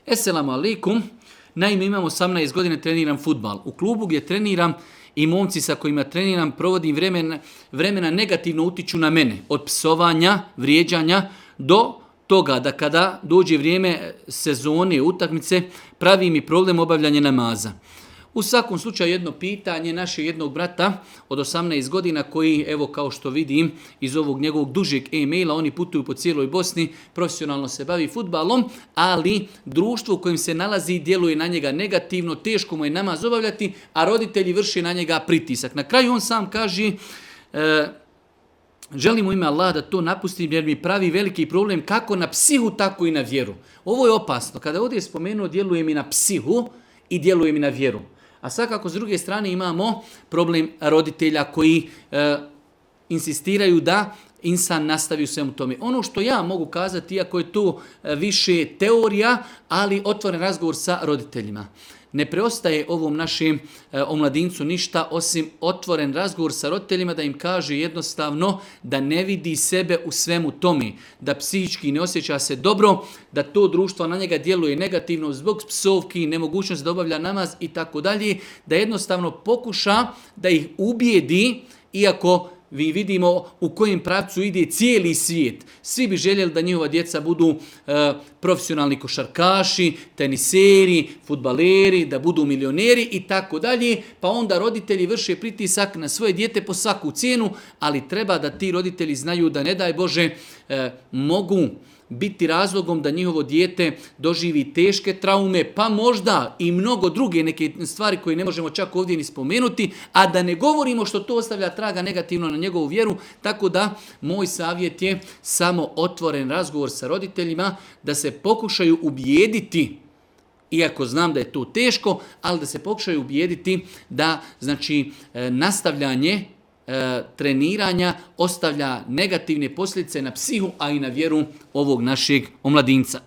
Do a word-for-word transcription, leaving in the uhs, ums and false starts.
Esselamu alaikum. Naime, imam osamnaest godina, treniram fudbal. U klubu gdje treniram i momci sa kojima treniram provodim vremena, vremena negativno utiču na mene. Od psovanja, vrijeđanja do toga da kada dođe vrijeme sezone, utakmice, pravi mi problem obavljanje namaza. U svakom slučaju jedno pitanje našeg jednog brata od osamnaest godina koji, evo kao što vidim iz ovog njegovog dužeg e-maila, oni putuju po cijeloj Bosni, profesionalno se bavi fudbalom, ali društvo u kojem se nalazi djeluje na njega negativno, teško mu je namaz obavljati, a roditelji vrše na njega pritisak. Na kraju on sam kaže, e, želim u ime Allah da to napustim jer mi pravi veliki problem kako na psihu, tako i na vjeru. Ovo je opasno. Kada ovdje je spomenuo djeluje mi na psihu i djeluje mi na vjeru. A svakako s druge strane imamo problem roditelja koji e, insistiraju da insan nastavi u svemu tome. Ono što ja mogu kazati, iako je to više teorija, ali otvoren razgovor sa roditeljima. Ne preostaje ovom našem e, omladincu ništa osim otvoren razgovor sa roditeljima da im kaže jednostavno da ne vidi sebe u svemu tome, da psihički ne osjeća se dobro, da to društvo na njega djeluje negativno zbog psovki, nemogućnost da obavlja namaz i tako dalje, da jednostavno pokuša da ih ubijedi, iako vi vidimo u kojem pravcu ide cijeli svijet. Svi bi željeli da njihova djeca budu e, profesionalni košarkaši, teniseri, fudbaleri, da budu milioneri i tako dalje. Pa onda roditelji vrše pritisak na svoje dijete po svaku cijenu, ali treba da ti roditelji znaju da ne daj Bože e, mogu biti razlogom da njihovo dijete doživi teške traume, pa možda i mnogo druge neke stvari koje ne možemo čak ovdje ni spomenuti, a da ne govorimo što to ostavlja traga negativno na njegovu vjeru, tako da moj savjet je samo otvoren razgovor sa roditeljima, da se pokušaju ubijediti, iako znam da je to teško, ali da se pokušaju ubijediti da znači nastavljanje E, treniranja ostavlja negativne posljedice na psihu, a i na vjeru ovog našeg omladinca.